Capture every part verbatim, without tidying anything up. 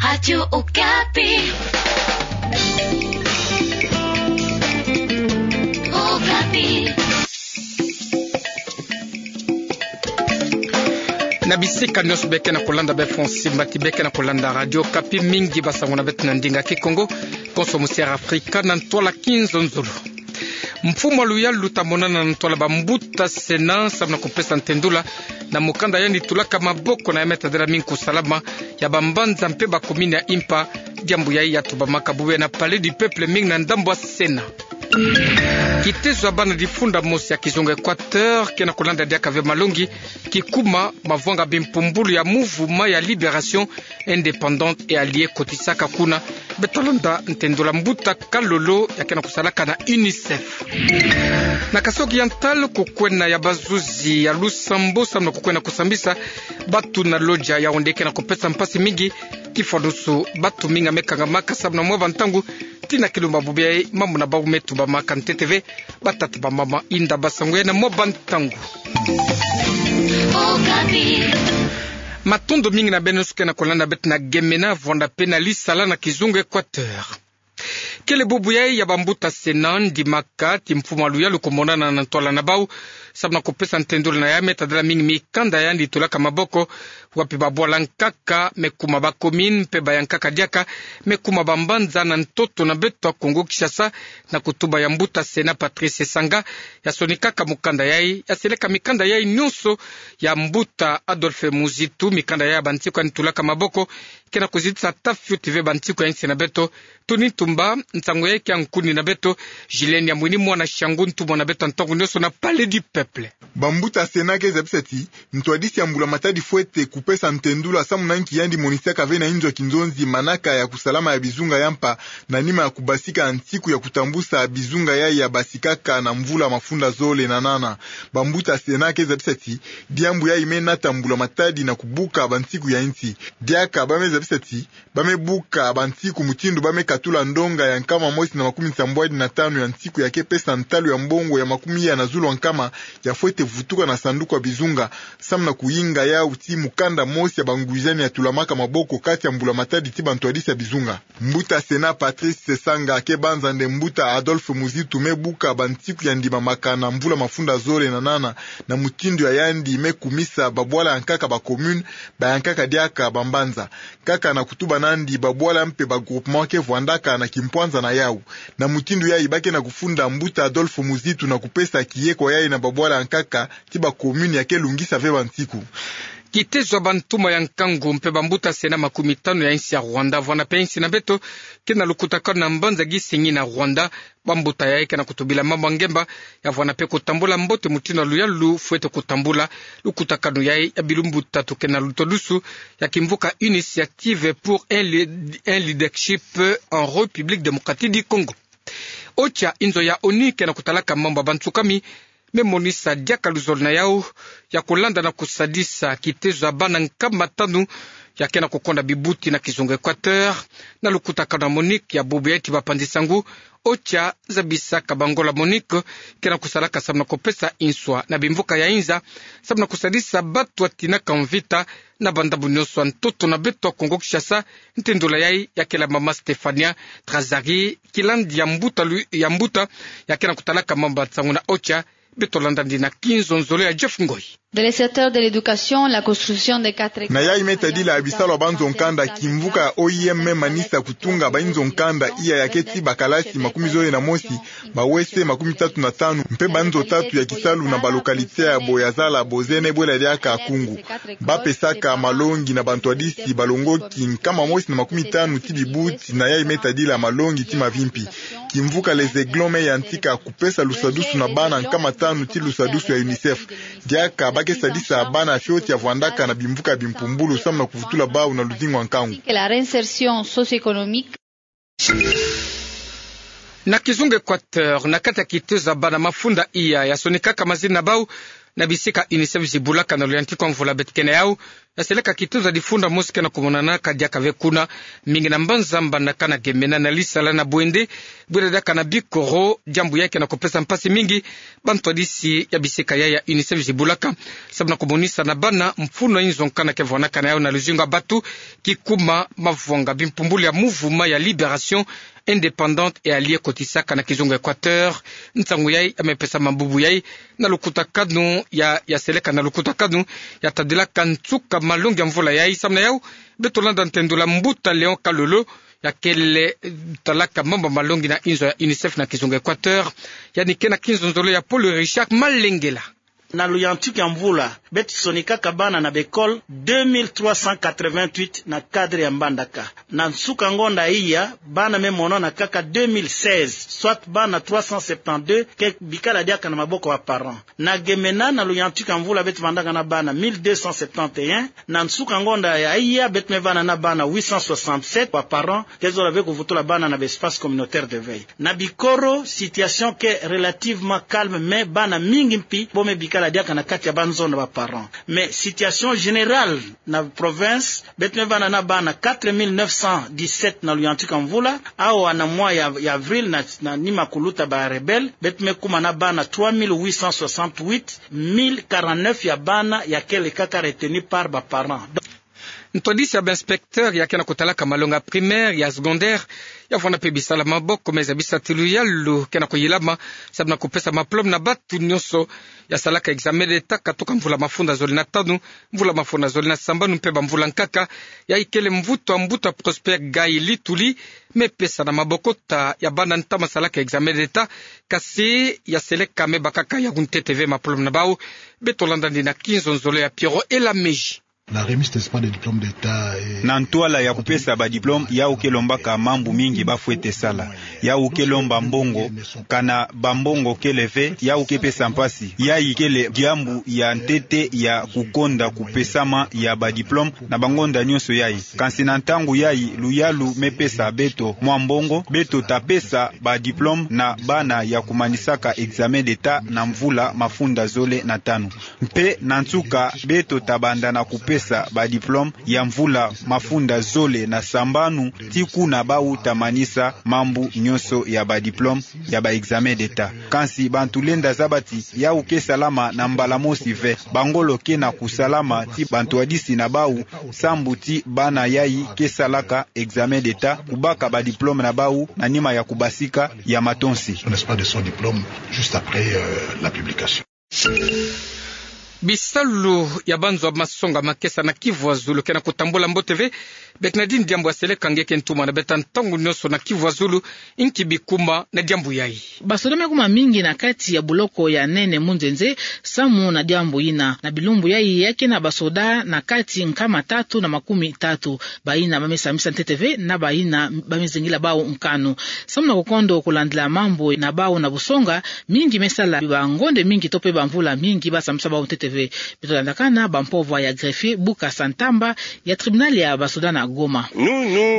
Radio Okapi. Okapi. Na bisika nyonso beke na kolanda, bafo nsimbati beke na kolanda Radio Okapi, mingi basango na beto na ndinga Kikongo, konso musiara Afrika na ntwala kinzonzolo. Mfumu a luyalu ta monana na ntwala bambuta Sénat samu na kupesa ntendula na mukanda yandi tulaka maboko na ya me tadila mingi kusalama ya bambanza mpe bakomini ya impa. Diambu yayi ya tubamaka bobele na Palais du Peuple, mingi na ndambu ya Sénat. Kitezo ya bana difunda mosi ya kizunga Équateur ke na kolanda diaka ve malongi, kikuma mavwanga bimpumbulu ya mouvement ya libération indépendante et alliée kotisaka kuna. Beto landa ntendula mbuta Kalolo ya ke na kusalaka na UNICEF. Na Kasai Oriental, kukwena ya bazuzi ya lusambo samu na kukwena kusambisa batu na Lodja Yaoundé ke na kupesa mpasi mingi, kifwanusu batu mingi ya me kangamaka samu na mwa bantangu, tii na kilumbu bobele mambu na bau me tubamaka ntete ve. Batata, bamama, inda, basango, ya na mwa bantangu. Matondo mingi na beno nyonso ke na kolanda beto na Gemena, Vwanda mpe na Lisala na kizunga Équateur. Kele bubu yayi ya bambuta Sénat, ndimaka ti mfumu a luyalu kumonana na ntwala na bau samu na kupesa ntendula na ya me tadila mingi mikanda yandi tulaka maboko, wapi babwala nkaka me kuma bakomini mpe bayankaka diaka me kuma bambanza na ntoto na beto ya Kongo Kinshasa. Na kutuba ya mbuta Sénat Patrice Sesanga, ya sonikaka mukanda yayi, ya seleka mikanda yayi nyonso ya mbuta Adolphe Muzitu, mikanda yayi ya bansiku yandi tulaka maboko, ke na kuzitisa ata fioti ve bansiku ya insi na beto. Tuni Tumba, nsangu yayi ke ya nkuni na beto. Julienne Yamwini, mwana Shangu, ntumwa na beto ya ntangu nyonso na Palais du Peuple. Bambuta Sénat ke zabisa ti ntwadisi ya mbula matadi fwete kupesa ntendula samu na nki yandi monisaka ve na inzo ya kinzonzi manaka ya kusalama ya bizunga ya mpa, na nima ya kubasika nsiku ya kutambusa bizunga yayi ya basikaka na mvula mafunda zole na nana. Bambuta Sénat ke zabisa ti diambu yayi me nata mbula matadi na kubuka bansiku ya insi. Diaka ba me zabisa ti ba me buka bansiku mutindu ba me katula ndonga ya nkama mosi na makumi nsambwadi na tanu ya nsiku ya ke pesa ntalu ya mbongo ya makumi ya na zulu ya nkama ya fwete vutuka na sanduku ya bizunga, samu na kuyinga yau ti mukanda mosi ya bangwizani ya tulamaka maboko kati ya mbula matadi ti bantwadisi ya bizunga. Mbuta Sénat Patrice Sesanga ke banza nde mbuta Adolphe Muzitu me buka bansiku ya ndimamaka na mvula mafunda zole na nana, na mutindu ya yandi me kumisa babwala ya nkaka bacommune, bayankaka diaka bambanza. Kaka na kutuba nandi, babwala mpe bagroupement ke vwandaka na kimpwanza na yau. Na mutindu yayi ba ke na kufunda mbuta Adolphe Muzitu na kupesa kiyeko yayi na babwala ya nkaka ti bacommune ya ke lungisa ve bansiku. Kitezo ya bantuma ya nkangu mpe bambuta Sénat makumi tanu ya insi ya Rwanda, vwanda mpe insi na beto, ke na lukutakanu na mbanza Gisenyi na Rwanda. Bambuta yayi ke na kutubila mambu ya ngemba, ya vwanda mpe kutambula mbote mutindu ya luyalu fwete kutambula lukutakanu yayi ya bilumbu tatu ke na lutwadusu ya kimvuka Initiative pour un le-, un leadership en République démocratique du Congo. OCHA, inzo ya ONU ke na kutalaka mambu ya bansukami, me monisa diaka luzolo na yau ya kulanda na kusadisa kitezo ya bana nkama tanu ya ke na kukonda bibuti na kizunga Équateur. Na lukutakanu ya MONUC ya bubu yayi ti bapanzi nsangu, OCHA zabisaka bangola MONUC ke na kusalaka samu na kupesa nswa na bimvuka ya inza samu na kusadisa batu ya tinaka mvita na bandambu nyonso ya ntoto na beto ya Kongo Kinshasa. Ntendula yayi ya kela mama Stéphania Trazari, kilandi ya mbuta lu-, ya mbuta ya ke na kutalaka mambu ya nsangu na OCHA. Beto landa nde na kinzonzolo ya Jeff Ngoi. De le secteur de l'éducation, la construction de quatre Na yayi me tadila bisalu ya banzo nkanda, kimvuka ya O I M me manisa kutunga bainzo nkanda iya ya keti bakalasi makumi zole na mosi, ba W C makumi tatu na tanu, mpe banzo tatu ya kisalu na balocalité ya Boyazala, Bozene, Bwela diaka Kungu. Ba pesaka malongi na bantwadisi balongoki nkama mosi na makumi tanu ti bibuti na yayi me tadila malongi ti mavimpi. Kimvuka Les Aiglons me yantika kupesa lusadusu na bana nkama tanu ti lusadusu ya UNICEF. Diaka ba ke sadisa bana fioti ya vwandaka na bimvuka ya bimpumbulu samu na kuvutula bau na luzingu ya nkangu. La réinsertion socio-économique. Na kizunga Équateur, na kati ya kitezo ya bana mafunda iya ya sonikaka mazina na bau na bisika UNICEF zibulaka na luyantiku ya mvula beto ke na yau, ya seleka kitoza difunda mosi ke na kumonanaka diaka ve kuna, mingi na mbanza Mbandaka na Gemena, na Lisala, na Bouendé, bwira diaka na Bikoro. Diambu yai ke na kupesa mpasi mingi bantwadisi ya bisika yai ya UNICEF zibulaka, samu na kumonisa na bana mfunu ya inzo nkana ke vwanaka na yau na luzingu ya batu, kikuma mavwanga. Bimpumbulu ya mouvement ya libération indépendante et alliée kotisaka na kizunga Équateur nsangu yai, ya me pesama bubu yai na lukutakanu ya, ya seleka na lukutakanu ya tadilaka nsuka malongi ya mvula yai. Samu na yau, beto landa ntendula Mbuta Léon Kalolo, ya kele, eh, talaka mambu malongi na inzo ya UNICEF na kizunga Équateur, yandi ke na kinzonzolo ya Paul Richard Malengela. Na luyantiku ya mvula, beto sonikaka bana na bekole deux mille trois cent quatre-vingt-huit na cadre ya Mbandaka. Na nsuka ngonda iya, bana me monana kaka deux mille seize, soit bana trois cent septante-deux ke bikala diaka na maboko ya ba parents. Na Gemena, na luyantiku ya mvula, beto vandaka na bana mille deux cent septante et un. Na nsuka ngonda ya iya, beto me vanda na bana huit cent soixante-sept ba parents ke zola ve kuvutula bana na ba espace communautaire de veille. Na Bikoro, situation ke relativement calme, mais bana mingi mpi bo me bikala diaka na kati ya banzo na ba parents. Mais situation générale na province, beto me vanda na bana quatre mille neuf cent dix-sept na luyantiku ya mvula. Awa na mois ya, ya avril, na, na nima kuluta ba rebelles, beto me kuma na bana trois mille huit cent soixante-huit, mille quarante-neuf ya bana ya kele kaka retenus par ba parents. Ntwadisi ya ba inspecteurs ya ke na kutalaka malongi ya primaire, ya secondaire, ya vwanda mpe bisalu ya maboko, me zabisa ti luyalu ke na kuyilama samu na kupesa ma diplôme na batu nyonso ya salaka examen d'État katuka mvula mafunda zole na tanu, mvula mafunda zole na sambanu mpe bamvula nkaka. Yai kele mvutu ya Mbuta Prosper Gai Lituli, me pesa na maboko tata ya bana ntama salaka examen d'État, kasi ya seleka me bakaka ya kuntete ve ma diplôme na bau. Beto landa yandi na kinzonzolo ya Pierrot Elameji. La remise, n'est-ce pas, des diplômes d'État et... Na ntwala ya kupesa ba diplôme, yau ke lombaka mambu mingi ba fwete sala. Yau ke lomba mbongo, kana bambongo kele ve, yau ke pesa mpasi. Yai kele diambu ya ntete ya kukonda kupesama ya ba diplôme na bangonda nyonso yai. Kansi na ntangu yai, luyalu me pesa beto mwa mbongo, beto ta pesa ba diplôme na bana ya kumanisaka examen d'État na mvula mafunda zole na tanu. Mpe na nsuka, beto ta banda na kupesa ba diplôme ya mvula mafunda zole na sambanu, tii kuna bau ta manisa mambu nyonso ya ba diplôme ya ba examen d'État. Kansi bantu lenda zaba ti yau ke salama na mbala mosi ve. Bangolo ke na kusalama ti bantwadisi na bau sambu ti bana yai ke salaka examen d'État, kubaka ba diplôme na bau na nima ya kubasika ya matonsi. N'est-ce pas, de son diplôme juste après, euh, la publication. Bisalu ya banzo ya masonga makesa na Kivu ya Zulu ke na kutambula mbote ve. Bernardine Diambu ya seleka nge ke ntumwa na beta ntangu nyonso na Kivu ya Zulu, inki bikuma na diambu yai? Basoda me kuma mingi na kati ya buloko ya Nene Munzenze, samu na diambu yina. Na bilumbu yai ya ke na basoda na kati nkama tatu na makumi tatu. Bayina ba me sambisa ntete ve na bayina ba me zingila bau nkanu. Samu na kukondo kulandila mambu na bau na busonga, mingi me sala bangonde mingi to mpe bamvula mingi ba sambisa bau ntete ve. Beto landakana bampovwa ya greffier, Bukasa Ntamba, ya tribunal ya basoda na Goma.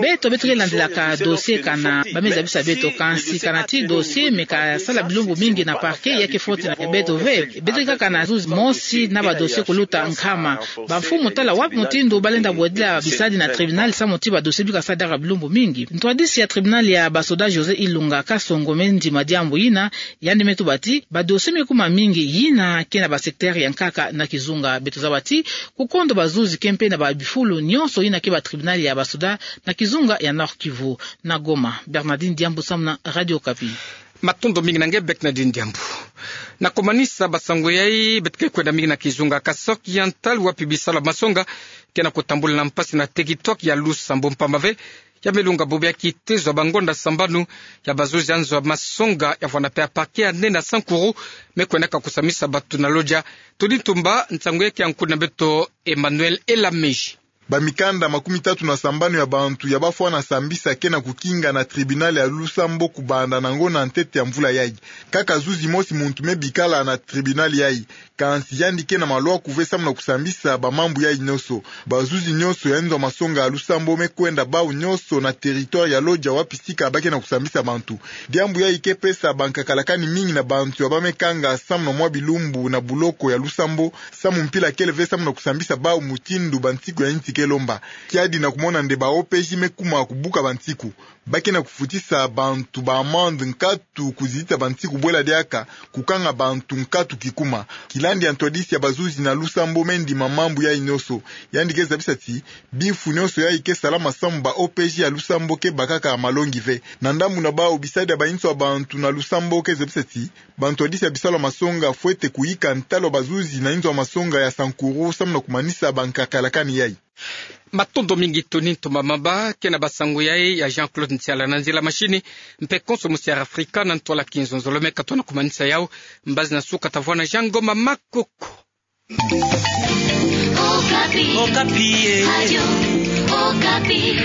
Beto, beto ke landilaka dossier kana ba me zabisa beto, kansi kana ti dossier me kasala bilumbu mingi na parquet, ya ke faute na beto ve. Beto ke kaka na zuzi mosi na ba dossier kuluta nkama. Bamfumu tala wapi mutindu ba lenda bwedila bisadi na tribunal samu ti ba dossier bi kasala diaka bilumbu mingi. Ntwadisi ya tribunal ya basoda José Ilunga Kasongo me ndima diambu yina, yandi me tuba ti ba dossier me kuma mingi yina ke na ba secteur ya nkaka na kizunga. Beto zaba ti kukondo bazuzi ke mpe na ba bifulu nyonso yina ke ba tribunal ya basoda na kizunga ya Nord-Kivu. Na Goma, Bernardine Diambu samu na Radio Okapi. Matondo mingi na nge Bernardine Diambu. Na kumanisa ba sango yai, beto ke kwenda mingi na kizunga Kasaï Oriental, wapi bisalu ya masonga ke na kutambula na mpasi na territoire ya Lusambao, mpamba ve ya me lunga bobo ya kitezo ya bangonda sambanu ya bazuzi ya nzo ya masonga ya vwanda mpe ya parquet ya Nene na Sankuru, me kwendaka kusambisa batu na lodia. Tudi ntumba, nsango yai ke ya nkulu na beto Emmanuel Elameji. Bamikanda makumi tatu na sambanu ya bantu ya bafwana sambisa ke na kukinga na tribunal ya Lusambo kubanda na ngonda ntete ya mvula yayi. Kaka zuzi mosi muntu me bikala na tribunal yayi. Kansi yandi ke na malwa kuve samu na kusambisa bamambu yayi nyonso. Bazuzi nyonso ya inzo ya masonga ya Lusambo me kwenda bau nyonso na territoire ya Lodja wapi sika ba ke na kusambisa bantu. Diambu yayi ke pesa bankakalakani mingi na bantu ya ba me kanga samu na mwa bilumbu na buloko ya Lusambo, samu mpila kele ve samu na kusambisa bau mutindu bansiku ya insi ke lomba. Kiadi na kumona nde ba O P J me kuma kubuka bansiku. Ba ke na kufutisa bantu ba amende nkatu kuzitisa bansiku bwela diaka, kukanga bantu nkatu kikuma. Kilandi ya ntwadisi ya bazuzi na Lusambo me ndima mambu yayi nyonso. Yandi ke zabisa ti, bimfu nyonso yayi ke salama samu ba O P J ya Lusambo ke bakaka malongi ve. Na ndambu na bau bisadi ya bainzo ya bantu na Lusambo ke zabisa ti, bantwadisi ya bisalu ya masonga fwete kuyika ntalu ya bazuzi na inzo ya masonga ya Sankuru samu na kumanisa bankakalakani yayi. Matondo mingi Tony Ntumba Mamba, ke na basango yayi ya Jean-Claude Ntiala na nzila machine, mpe konso musi ya Afrika na ntwala kinzonzolo me ka tona kumanisa yau, mbazi na suka tavwanda Jean Ngoma Makoko. Okapi. Okapi, eh. Radio Okapi.